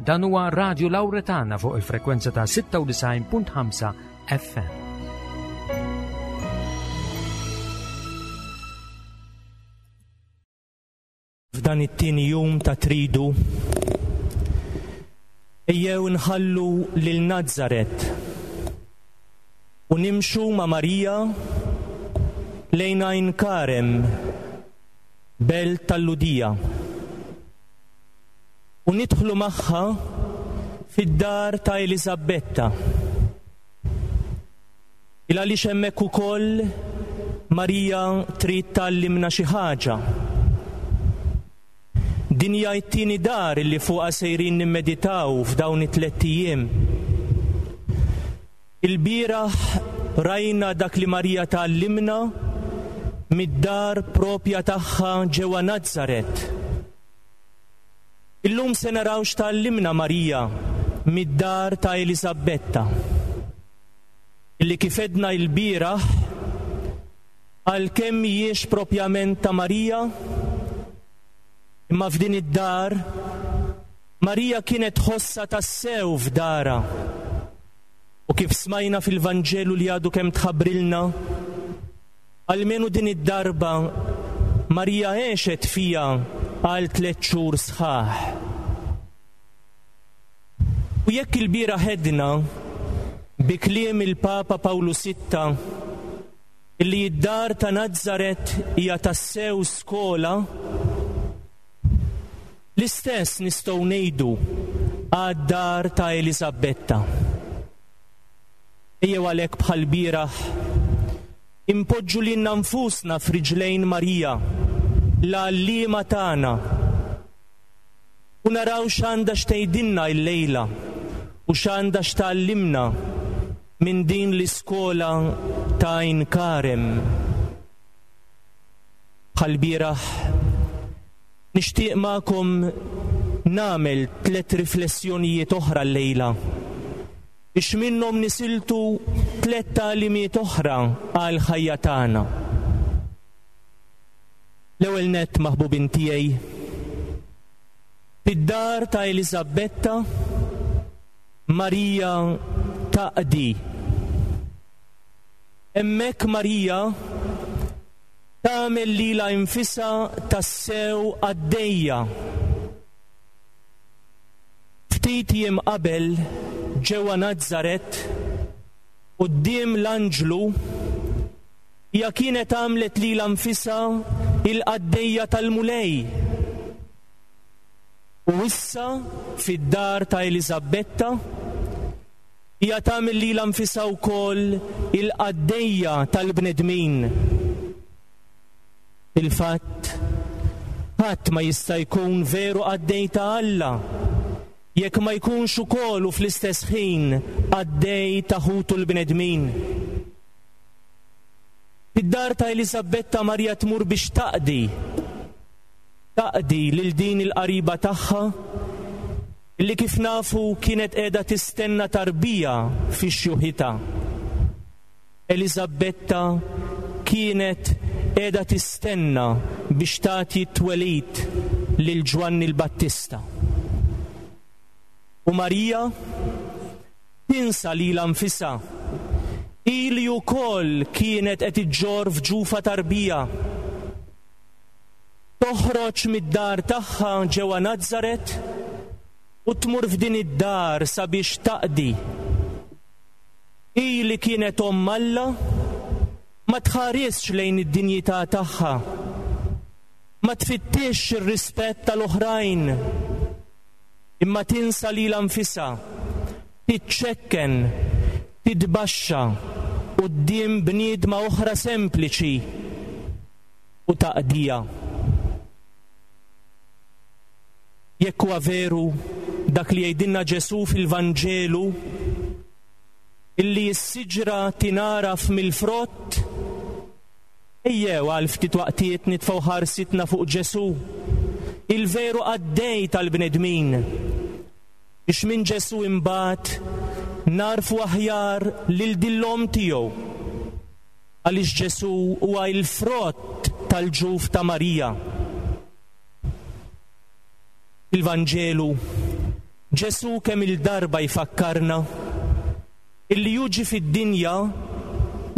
Dan huwa Radio Lauretana fuq il-frekwenza ta' 96.5 FM. F'dan it-tieni jum ta' tridu, ejjew nħallu lil Nazaret u nimxu ma' Marija lejn Għajn Karem, belt tal-Lhudija. U nidħlu magħha fid-dar ta' Eliżabbetta. Il għaliex hemmhekk ukoll Marija trid tgħallimna xi ħaġa. Din hija t-tieni dar li fuqha sejrin nimmeditaw f'dawn it-tlett ijiem. Ilbieraħ rajna dak li Marija tgħallimna mid-dar propja tagħha ġewwa Nazaret. Illum se naraw x'tgħallimna Marija mid-dar ta' Eliżabbetta, illi kif għedna ilbieraħ, għalkemm mhijiex propjament ta' Marija, imma f'din id-dar Marija kienet tħossha tassew f'darha. U kif smajna fil-Vanġelu li għadu kemm tħabbrilna, almenu din id-darba Marija għexet fiha għal tlett xhur sħaħ. U jekk ilbieraħ għedna, bi kliem il-Papa Pawlu Sitta, illi d-dar ta' Nazaret hija tassew skola, L-istess nistgħu ngħidu għad-dar ta' Eliżabbetta. Ejjew għalhekk bħall-bieraħ inpoġġu lilna nfusna f'riġlejn Marija, l-għalliema tagħna, u naraw x'għandha x'tgħidilna illejla u x'għandha x'tgħallimna minn din l-iskola ta' Għajn Karem. Bħall-bieraħ, Nixtieq magħkom nagħmel tlett riflessjonijiet oħra llejla, biex minnhom nisiltu tlett tagħlimiet oħra għall-ħajja tagħna. L-ewwel nett, maħbubin tiegħi, fid-dar ta' Eliżabbetta, Marija taqdi. Hemmhekk Marija Tagħmel lilha infisha tassew qaddejja. Ftit jiem qabel, ġewwa Nazaret, quddiem l-anġlu, hija kienet għamlet lilha nfisha il-qaddejja tal-Mulej. U issa, fid-dar ta' Eliżabbetta, Hija tagħmel lilha nfisha wkoll il-qaddejja tal-bnedmin. Fil-fatt, ħadd ma jista' jkun veru qaddej ta' Alla jekk ma jkunx ukoll u fl-istess ħin qaddej ta' ħutu l-bnedmin. Fid-dar ta' Eliżabbetta Marija tmur biex taqdi, taqdi lil din il-qariba tagħha li kif nafu kienet qiegħda tistenna tarbija fi xjuħitha. Eliżabbetta kienet qiegħda tistenna biex tagħti t-twelid lil Ġwanni l-Battista. U Marija tinsa lilha nfisha, hi li wkoll kienet qed iġġorr f'ġufha tarbija. Toħroġ mid-dar tagħha ġewwa Nazaret u tmur f'din id-dar sabiex taqdi. Hi li kienet omm Alla ma tħarisx lejn id-dinjità tagħha, ma tfittixx ir-rispett tal-oħrajn, imma tinsa lilha nfisha, tiċċekken, titbaxxa quddiem bniedma oħra sempliċi. u taqdija. Jekk huwa veru dak li jgħidilna Ġesù fil-Vanġelu, illi s-siġra tingħaraf mill-frott, ejjew għal ftit waqtiet nitfgħu ħarsitna fuq Ġesù, il-veru qaddej tal-bnedmin, biex minn Ġesù imbagħad nagħrfu aħjar lil din l-omm tiegħu. Għaliex Ġesù huwa l-frott tal-ġuf ta' Marija. Fil-Vanġelu, Ġesù kemm-il darba jfakkarna illi hu ġie fid-dinja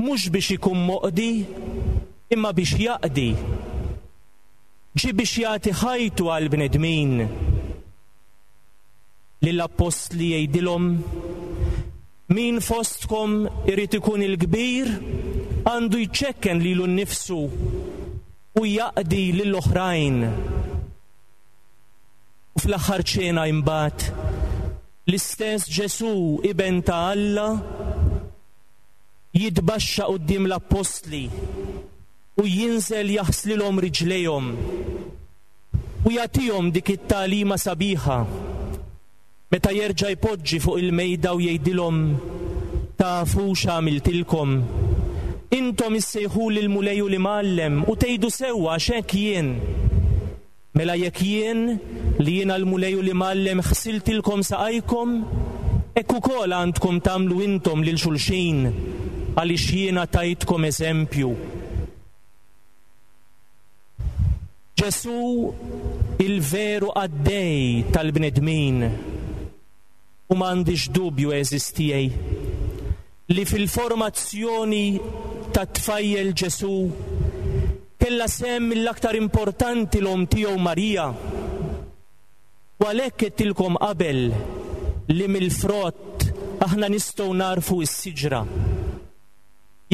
mhux biex ikun moqdi imma biex jaqdi. Ġie biex jagħti ħajtu għall-bnedmin. Lill-appostli jgħidilhom, Min fostkom irid ikun il-kbir għandu jċekken lilu nnifsu u jaqdi lill-oħrajn. U fl-aħħar ċena imbagħad, l-istess Ġesù, Iben ta' Alla, jitbaxxa quddiem l-appostli u jinżel jaħslilhom riġlejhom u jagħtihom dik it-tagħlima sabiħa meta jerġa' jpoġġi fuq il-mejda u jgħidilhom, Tafu x'għamiltilkom? Intom issejħuli l-Mulej u l-Imgħallem u tgħidu sewwa għax hekk jien. Mela jekk jien, li jiena l-Mulej u l-Imgħallem ħsiltilkom saqajkom, hekk ukoll għandkom tagħmlu intom lil xulxin, għaliex jiena tajtkom eżempju. Ġesù il-veru qaddej tal-bnedmin, u m'għandix dubju għeżież tiegħi, li fil-formazzjoni tat-tfajjel Ġesù kellha sehem mill-aktar importanti l-omm tiegħu Marija. U għalhekk għedtilkom qabel li mill-frott aħna nistgħu nagħrfu s-siġra.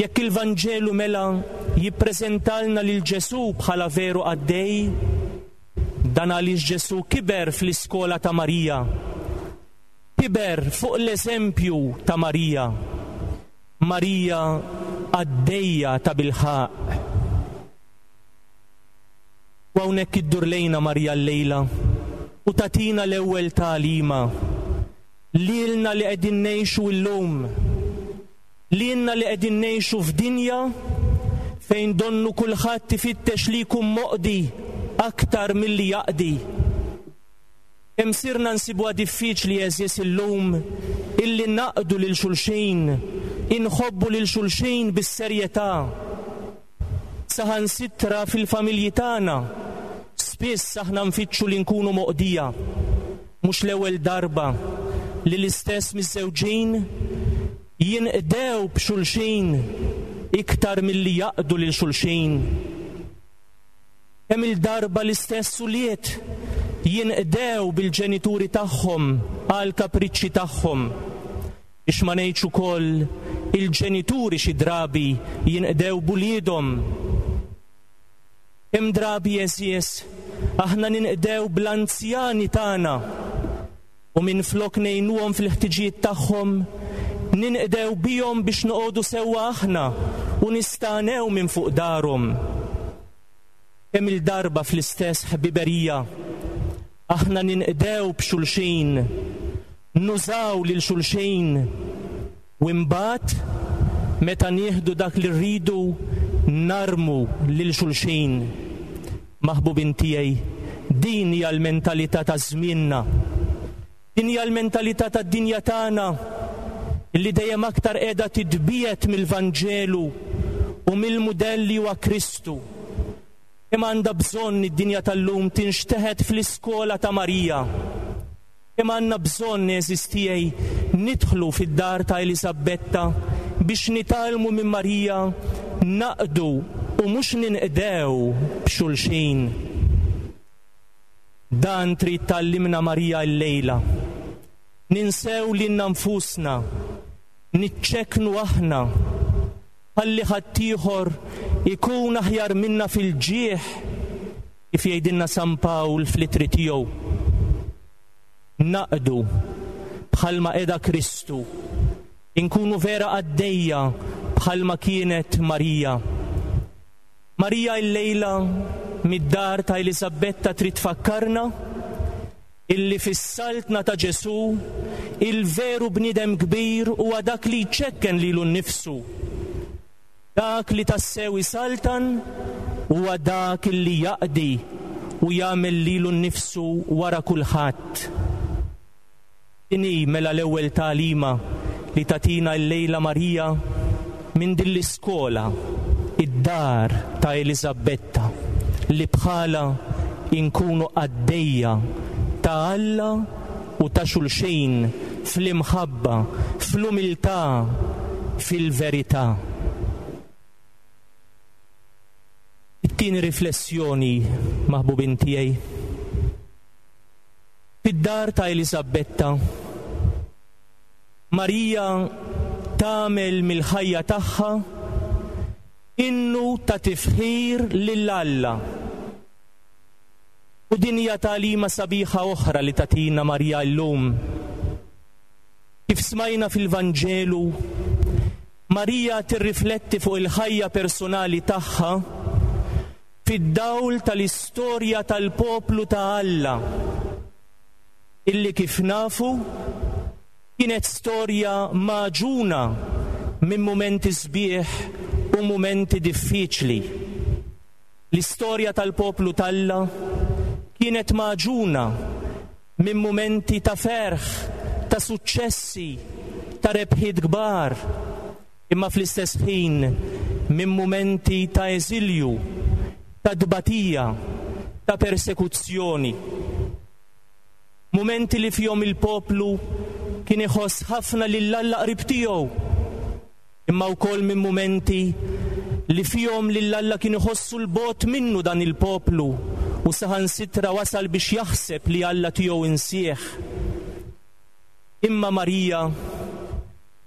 Jekk il-Vanġelu mela jippreżentalna lil Ġesù bħala veru qaddej, dan għaliex Ġesù kiber fl-iskola ta' Marija. Kiber fuq l-eżempju ta' Marija. Marija qaddejja tabilħaqq. U hawnhekk iddur lejna Marija llejla u tagħtina l-ewwel tagħlima lilna li qegħdin ngħixu llum, lilna li qegħdin ngħixu f'dinja fejn donnu kulħadd ifittex li jkun moqdi aktar milli jaqdi. Kemm sirna nsibuha diffiċli għeżież illum illi naqdu lil xulxin, inħobbu lil xulxin bis-serjetà. Saħansitra fil-familji tagħna, spiss aħna nfittxu li nkunu moqdija. Mhux l-ewwel darba li l-istess miżżewġin jinqdew b'xulxin iktar milli jaqdu lil xulxin. Kemm-il darba l-istess ulied jinqdew bil-ġenituri tagħhom għall-kapriċċi tagħhom. Biex ma ngħidx ukoll il-ġenituri xi drabi jinqdew b'uliedhom. Kemm drabi għeżież aħna ninqdew bl-anzjani tagħna u minflok ngħinuhom fil-ħtiġijiet tagħhom, ninqdew bihom biex noqogħdu sewwa aħna u nistagħnew minn fuq darhom. Kemm-il darba fl-istess ħbiberija aħna ninqdew b'xulxin, nużaw lil xulxin u imbagħad meta nieħdu dak li rridu narmu lil xulxin. Maħbubin tiegħi, din hija l-mentalità ta' żmienna. Din hija l-mentalità tad-dinja tagħna li dejjem aktar qiegħda titbiegħed mill-Vanġelu u mill-mudell li huwa Kristu. Kemm għandha bżonn id-dinja tal-lum tinxteħet fl-iskola ta' Marija. Kemm għandna bżonn, għeżież tiegħi, nidħlu fid-dar ta' Eliżabbetta biex nitgħallmu minn Marija naqdu u mhux ninqdew b'xulxin. Dan trid tgħallimna Marija llejla. Ninsew lilna nfusna, niċċekknu aħna, ħalli ħaddieħor ikun aħjar minna fil-ġieħ, kif jgħidilna San Pawl fl-ittri tiegħu. Naqdu bħalma qeda Kristu, inkunu vera qaddejja bħalma kienet Marija. Marija illejla mid-dar ta' Eliżabbetta trid tfakkarna illi fis-saltna ta' Ġesù il-veru bniedem kbir huwa dak li jċekken lilu nnifsu. Dak li tassew isaltan huwa dak li jaqdi u jagħmel lilu nnifsu wara kulħadd. Din hi mela l-ewwel tagħlima li tagħtina llejla Marija minn din l-iskola, id-dar ta' Eliżabbetta, li bħalha inkunu qaddejja ta' Alla. u ta' xulxin fl-imħabba, fl-umiltà, fil-verità. It-tieni riflessjoni, maħbubin tiegħi. Fid-dar ta' Eliżabetta, Marija tagħmel mill-ħajja tagħha innu ta' tifħir lil Alla. U din hija tagħlima sabiħa oħra li tagħtina Marija llum. Kif smajna fil-Vanġelu, Marija tirrifletti fuq il-ħajja personali tagħha fid-dawl tal-istorja tal-poplu ta' Alla, illi kif nafu kienet storja magħġuna minn mumenti sbieħ u mumenti diffiċli. L-istorja tal-poplu t'Alla kienet magħġuna minn mumenti ta' ferħ, ta' suċċessi, ta' rebħiet kbar, imma fl-istess ħin minn mumenti ta' eżilju, ta' tbatija, ta' persekuzzjoni. Mumenti li fihom il-poplu kien iħoss ħafna lil Alla qrib tiegħu, imma wkoll minn mumenti li fihom lil Alla kien iħossu 'l bogħod minnu dan il-poplu u saħansitra wasal biex jaħseb li Alla tiegħu insieħ. Imma Marija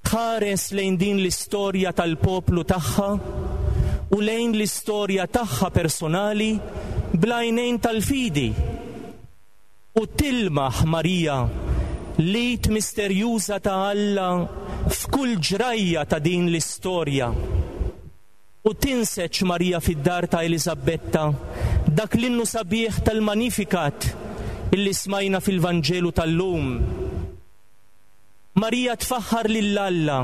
tħares lejn din l-istorja tal-poplu tagħha u lejn l-istorja tagħha personali bl-għajnejn tal-fidi. U tilmaħ Marija l-id misterjuża ta' Alla f'kull ġrajja ta' din l-istorja. U tinseġ Marija fid-dar ta' Eliżabetta dak l-innu sabiħ tal-Magnificat illi smajna fil-Vanġelu tal-lum. Marija tfaħħar lil Alla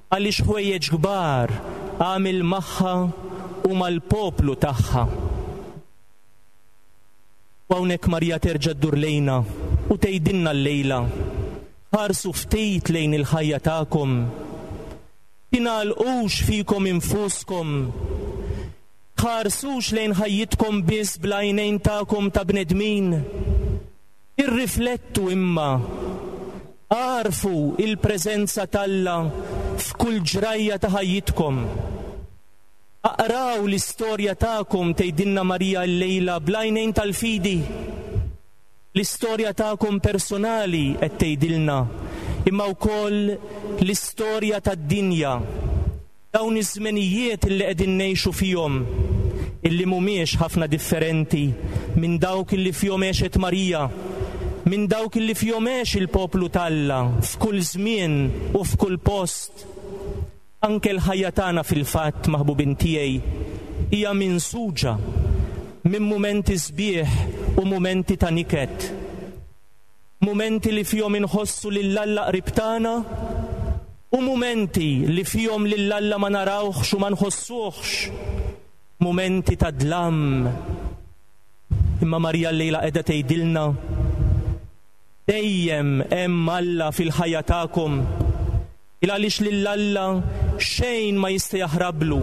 għaliex ħwejjeġ kbar għamel magħha u mal-poplu tagħha. U hawnhekk Marija terġa' ddur lejna u tgħidilna llejla, Ħarsu ftit lejn il-ħajja tagħkom. Tingħalqux fikom infuskom. Tħarsux lejn ħajjitkom biss bl-għajnejn tagħkom ta' bnedmin. Irriflettu imma. Agħrfu il-preżenza t'Alla f'kull ġrajja ta' ħajjitkom. Aqraw l-istorja tagħkom tgħidilna Marija llejla bl-għajnejn tal-fidi. L-istorja tagħkom personali qed tgħidilna, imma wkoll l-istorja tad-dinja. Dawn iż-żmenijiet illi qegħdin ngħixu fihom, illi mhumiex ħafna differenti minn dawk illi fihom għexet Marija, minn dawk illi fihom għex il-poplu t'Alla f'kull żmien u f'kull post. Anke l-ħajja tagħna fil-fatt, maħbubin tiegħi, hija minsuġa minn mumenti sbieħ u mumenti ta' niket. Mumenti li fihom inħossu lil Alla qrib tagħna u mumenti li fihom lil Alla ma narawhx u ma nħossuhx. Mumenti ta' dlam. Imma Marija llejla qiegħda tgħidilna, Dejjem hemm Alla fil-ħajja tagħkom. Il għaliex lil Alla xejn ma jista' jaħrablu.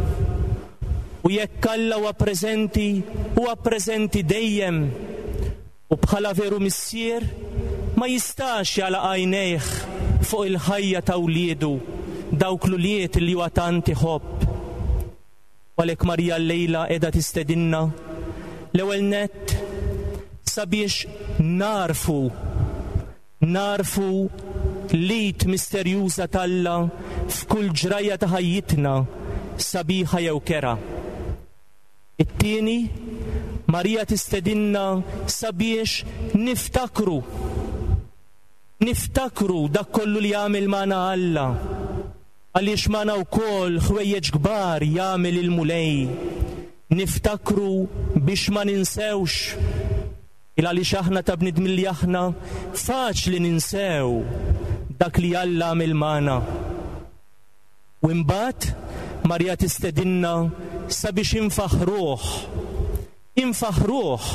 U jekk Alla huwa preżenti, huwa preżenti dejjem. U bħala veru Missier, ma jistax jagħlaq għajnejh fuq il-ħajja ta' wliedu, dawk l-ulied li huwa tant iħobb. U għalhekk Marija llejla qiegħda tistedinna, l-ewwel nett, sabiex nagħrfu Nagħrfu l-id misterjuża t'Alla f'kull ġrajja ta' ħajjitna, sabiħa jew kerha. It-tieni, Marija tistedinna sabiex niftakru. Niftakru dak kollu li għamel magħna Alla, għaliex magħna wkoll ħwejjeġ kbar jagħmel il-Mulej. Niftakru biex ma ninsewx. Il għaliex aħna ta' bniedmin li aħna faċli ninsew dak li Alla għamel magħna. U imbagħad Marija tistedinna sabiex infaħħruh, infaħħruh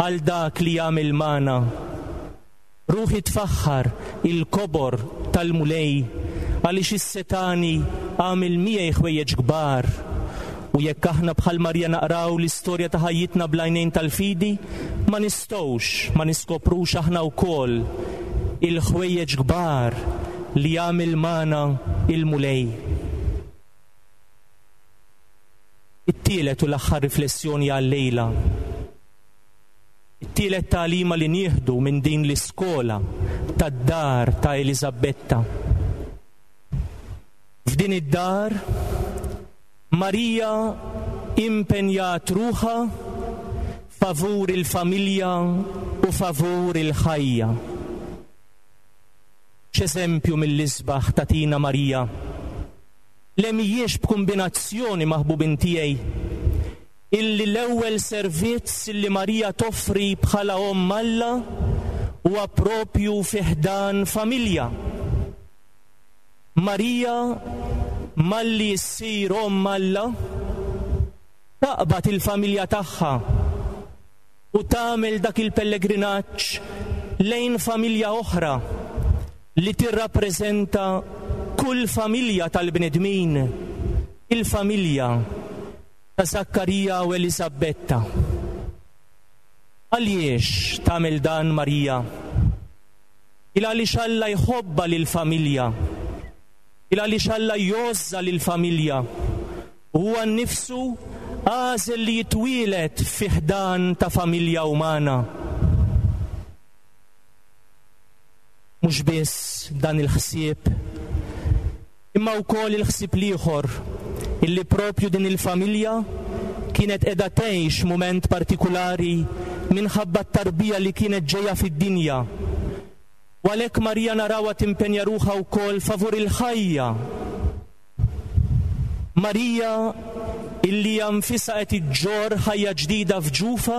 għal dak li għamel magħna. Ruħi tfaħħar il-kobor tal-Mulej, għaliex is-Setgħani għamel miegħi ħwejjeġ kbar. U jekk aħna bħal Marija naqraw l-istorja ta' ħajjitna bl-għajnejn tal-fidi, ma nistgħux ma niskoprux aħna wkoll il-ħwejjeġ kbar li għamel magħna il-Mulej. It-tielet u l-aħħar riflessjoni għal-lejla. It-tielet tagħlima li nieħdu minn din l-iskola tad-dar ta' Eliżabetta. F'din id-dar Marija impenjat ruħha favur il-familja u favur il-ħajja. X'eżempju mill-isbaħ tagħtina Marija! Le mhijiex b'kumbinazzjoni maħbubin tiegħi illi l-ewwel servizz illi Marija toffri bħala Omm Alla huwa propju fi ħdan familja. Marija malli ssir Omm Alla taqbad il-familja tagħha u tagħmel dak il-pellegrinaġġ lejn familja oħra li tirrappreżenta kull familja tal-bnedmin, il-familja ta' Żakkarija u Eliżabetta. Għaliex tagħmel dan Marija? Il għaliex Alla jħobbha lill-familja. Il għaliex Alla jgħożżha lill-familja. U huwa nnifsu għażel li jitwieled fi ħdan ta' familja umana. Mhux biss dan il-ħsieb, imma wkoll il-ħsieb l-ieħor illi propju din il-familja kienet qiegħda tgħix mument partikulari minħabba t-tarbija li kienet ġejja fid-dinja. U għalhekk Marija narawha timpenja ruħha wkoll favur il-ħajja. Marija illi hija nfisha qed iġġorr ħajja ġdida f'ġufha,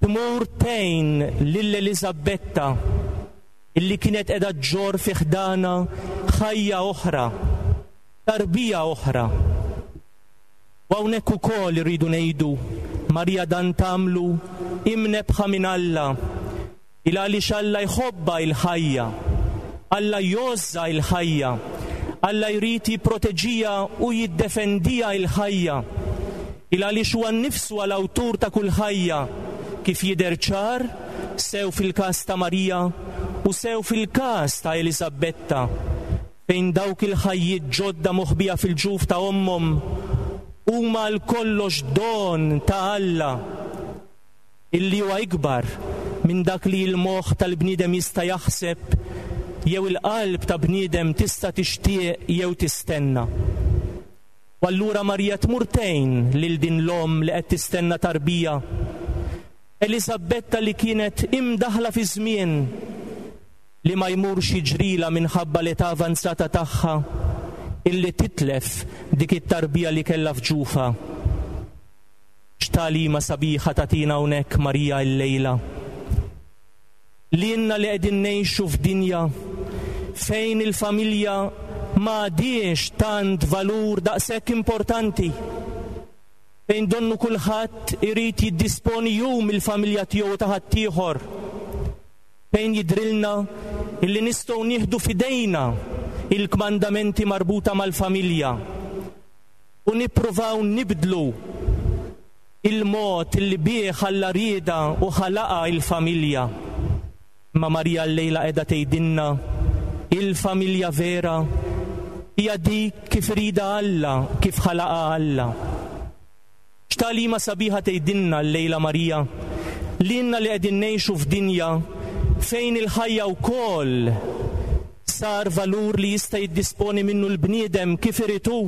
tmur tgħin lil Eliżabetta illi kienet qiegħda ġġorr fi ħdanha ħajja oħra, tarbija oħra. U hawnhekk ukoll irridu ngħidu, Marija dan tagħmlu imnebbħa minn Alla, il għaliex Alla jħobbha il-ħajja, Alla jgħożżha il-ħajja, Alla jrid jipproteġiha u jiddefendiha il-ħajja, il għaliex huwa nnifsu l-awtur ta' kull ħajja, kif jidher ċar sew fil-każ ta' Marija u sew fil-każ ta' Eliżabetta, fejn dawk il-ħajjiet ġodda moħbija fil-ġuf ta' ommhom huma għal kollox don ta' Alla, illi huwa ikbar minn dak li l-moħħ tal-bniedem jista' jaħseb jew il-qalb ta' bniedem tista' tixtieq jew tistenna. U allura Marija tmur tgħin lil din l-omm li qed tistenna tarbija, Eliżabetta li kienet imdaħħla fiż-żmien, li ma jmurx jiġrilha minħabba l-età avanzata tagħha illi titlef dik it-tarbija li kellha f'ġufha. X'tagħlima sabiħa tagħtina hawnhekk Marija illejla. Lilna li qegħdin ngħixu f'dinja fejn il-familja ma għadhiex tant valur daqshekk importanti, fejn donnu kulħadd irid jiddisponi hu mill-familja tiegħu u ta' ħaddieħor, fejn jidhrilna illi nistgħu nieħdu f'idejna il-kmandamenti marbuta mal-familja u nippruvaw nibdlu il-mod illi bih Alla riedha u ħalaqha il-familja. Imma Marija llejla qiegħda tgħidilna il-familja vera hija dik kif iridha Alla, kif ħalaqha Alla. X'tagħlima sabiħa tgħidilna llejla Marija lilna li qegħdin ngħixu f'dinja fejn il-ħajja wkoll sar valur li jista' jiddisponi minnu l-bniedem kif irid hu.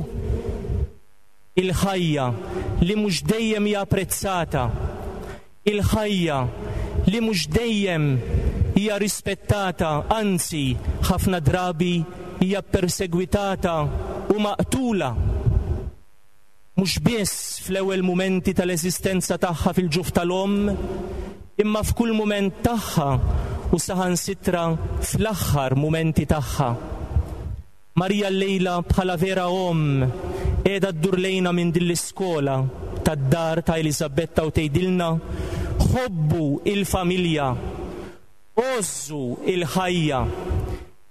Il-ħajja li mhux dejjem hija apprezzata, il-ħajja li mhux dejjem hija rispettata anzi ħafna drabi hija ppersegwitata u maqtula. Mhux biss fl-ewwel mumenti tal-eżistenza tagħha fil-ġuf tal-omm, imma f'kull mument tagħha u saħansitra fl-aħħar mumenti tagħha. Marija llejla bħala vera omm qiegħda ddur lejna minn din l-iskola tad-dar ta' Eliżabetta u tgħidilna, Ħobbu il-familja, għożżu il-ħajja,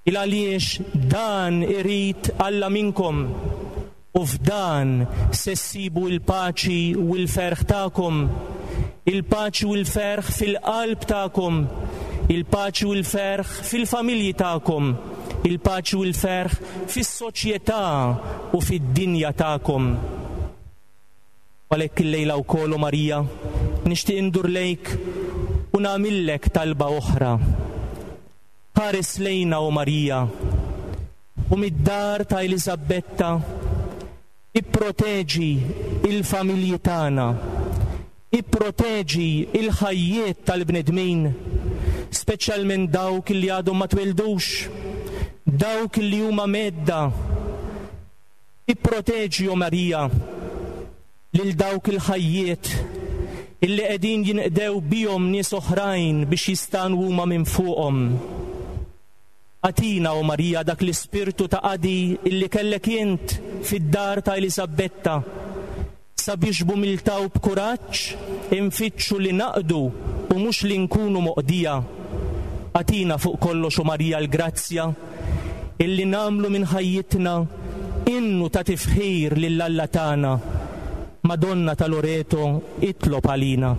il għaliex dan irid Alla minnkom u f'dan se ssibu l-paċi u l-ferħ tagħkom, il-paċi u l-ferħ fil-qalb tagħkom, Il-paċi u l-ferħ fil-familji tagħkom, il-paċi u l-ferħ fis-soċjetà u fid-dinja tagħkom. U għalhekk illejla wkoll, o Marija, nixtieq indur lejk u nagħmillek talba oħra. Ħares lejna, o Marija, u mid-dar ta' Eliżabetta Ipproteġi l-familji tagħna. Ipproteġi l-ħajjiet tal-bnedmin, speċjalment dawk li għadhom ma twieldux, dawk li huma mhedda. Ipproteġi, o Marija, lil dawk il-ħajjiet illi qegħdin jinqdew bihom nies oħrajn biex jistagħnu huma minn fuqhom. Agħtina, o Marija, dak l-ispirtu ta' qadi illi kellek int fid-dar ta' Eliżabetta, sabiex b'umiltà u b'kuraġġ infittxu li naqdu u mhux li nkunu moqdija. Agħtina fuq kollox, o Marija, l-grazzja illi nagħmlu minn ħajjitna innu ta' tifħir lil Alla tagħna. Madonna ta' Loreto, itlob għalina.